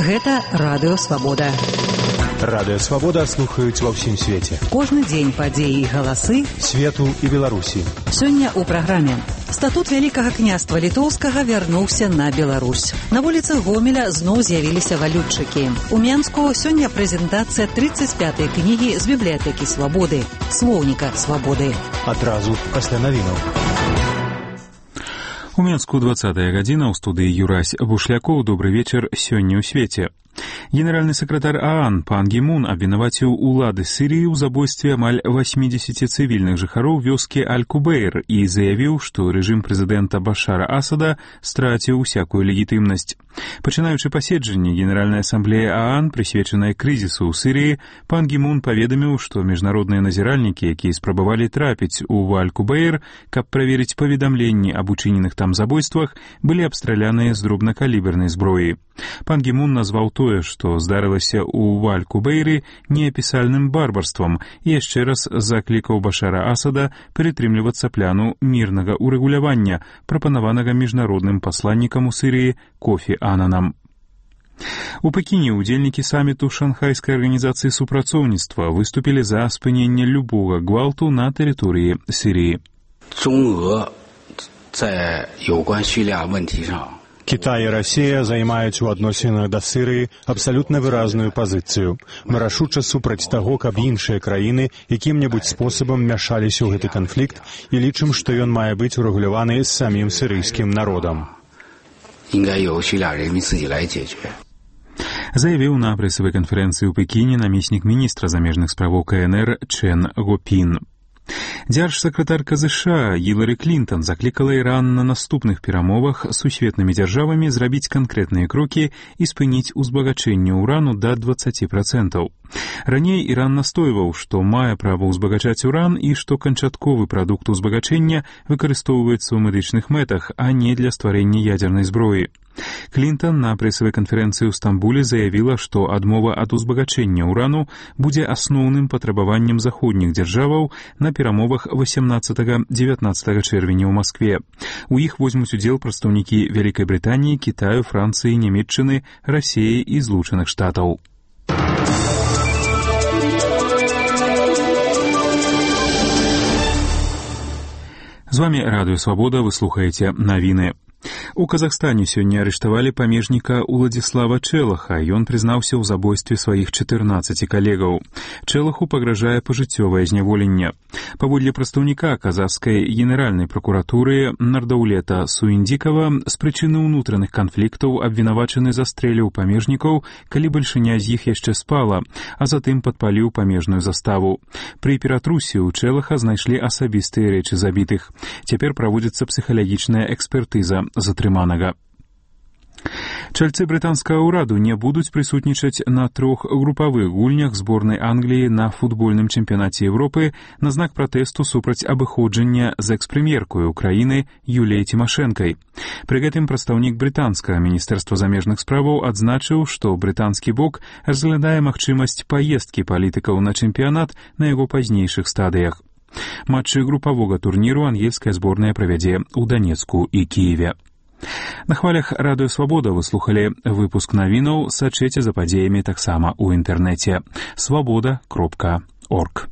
Гэта Радыё Свабода. Радыё Свабода слухаюць ва ўсім свеце. Кожны дзень падзеі і галасы свету і Беларусі. Сёння ў праграме. Статут Вялікага княства Літоўскага вярнуўся на Беларусь. На вуліцах Гомеля зноў з'явіліся валютчыкі. У Менску сёння прэзентацыя 35-й кнігі з бібліятэкі Свабоды, слоўніка Свабоды. Адразу пасля навінаў. У Менску 20-я гадзіна, ў студыі Юрась Бушлякоў. Добры вечар сёння ў свеце. Генеральны сакратар ААН пан Гі Мун абвінаваціў улады Сірыі ў забойстве амаль 80 цывільных жыхароў вёскі Аль-Кубейр і заявіў, што рэжым прэзідэнта Башара Асада страціў усякую легітымнасць. Пачынаючы паседжанне Генеральнай асамблеі ААН, прысвечанай крызісу ў Сірыі, пан Гі Мун паведаміў, што міжнародныя назіральнікі, якія спрабавалі трапіць у Аль-Кубейр, каб праверыць паведамленні аб учыненых там забойствах, былі абстраляныя з дробнакалібернай зброі. Пан Гі Мун назваў тое, што здарылася ў Аль-Кубейры, неапісальным барбарствам і яшчэ раз заклікаў Башара Асада прытрымлівацца пляну мірнага ўрэгулявання, прапанаванага міжнародным пасланнікам у Сірыі Кофі Ананам. У Пекіне ўдзельнікі саміту Шанхайскай арганізацыі супрацоўніцтва выступілі за спыненне любога гвалту на тэрыторыі Сірыі. Кітай і Расія займаюць у адносінах да Сірыі абсалютна выразную пазіцыю. Мы рашуча супраць таго, каб іншыя краіны якім-небудзь спосабам мяшаліся ў гэты канфлікт і лічым, што ён мае быць урэгуляваны з самім сірыйскім народам. Заявіў на прэсавай канферэнцыі ў Пекіне намеснік міністра замежных справаў КНР Чен Гопін. Дзяржсакратарка США Гілары Клінтон заклікала Іран на наступных перамовах з сусветнымі дзяржавамі зрабіць канкрэтныя крокі і спыніць узбагачэнне ўрану да 20%. Раней Іран настойваў, што мае права ўзбагачаць уран і што канчатковы прадукт узбагачэння выкарыстоўваецца ў медычных мэтах, а не для стварэння ядзернай зброі. Клінтон на прэсавай канферэнцыі ў Стамбуле заявіла, што адмова ад узбагачэння ўрану будзе асноўным патрабаваннем заходніх дзяржаваў на перамовах 18-19 чэрвеня ў Маскве. У іх возьмуць удзел прадстаўнікі Вялікай Брытаніі, Кітаю, Францыі, Нямецчыны, Расіі і Злучаных Штатаў. З вамі Радыё Свабода, вы слухаеце навіны. У Казахстане сёння арыштавалі памежніка Уладзіслава Чэлаха. Ён прызнаўся ў забойстве сваіх 14 калегаў. Чэлаху пагражае пажыццёвае зняволенне. Паводле прадстаўніка казахскай генеральнай пракуратуры Нардаулета Суіндзікава, з прычыны ўнутраных канфліктаў абвінавачаны застрэліў памежнікаў, калі бальшыня з іх яшчэ спала, а затым падпаліў памежную заставу. Пры ператрусе ў Чэлаха знайшлі асабістыя рэчы забітых. Цяпер праводзіцца псіхалагічная экспертыза затрыманага. Чальцы брытанскага ўраду не будуць прысутнічаць на 3 групавых гульнях зборнай Англіі на футбольным чэмпіянаце Еўропы на знак пратэсту супраць абыходжання з экс-прэм'еркой краіны Юліяй Цімашэнкай. Пры гэтым прадстаўнік брытанскага міністэрства замежных справаў адзначыў, што брытанскі бок разглядае магчымасць паездкі палітыкаў на чэмпіянат на яго пазнейшых стадыях. Матчы групавога турніру ангельская зборная правядзе ў Данецку і Кіеве. На хвалях Радыё Свабода вы слухалі выпуск навінаў, сачыце за падзеямі таксама ў інтэрнэце. Свабода.орг.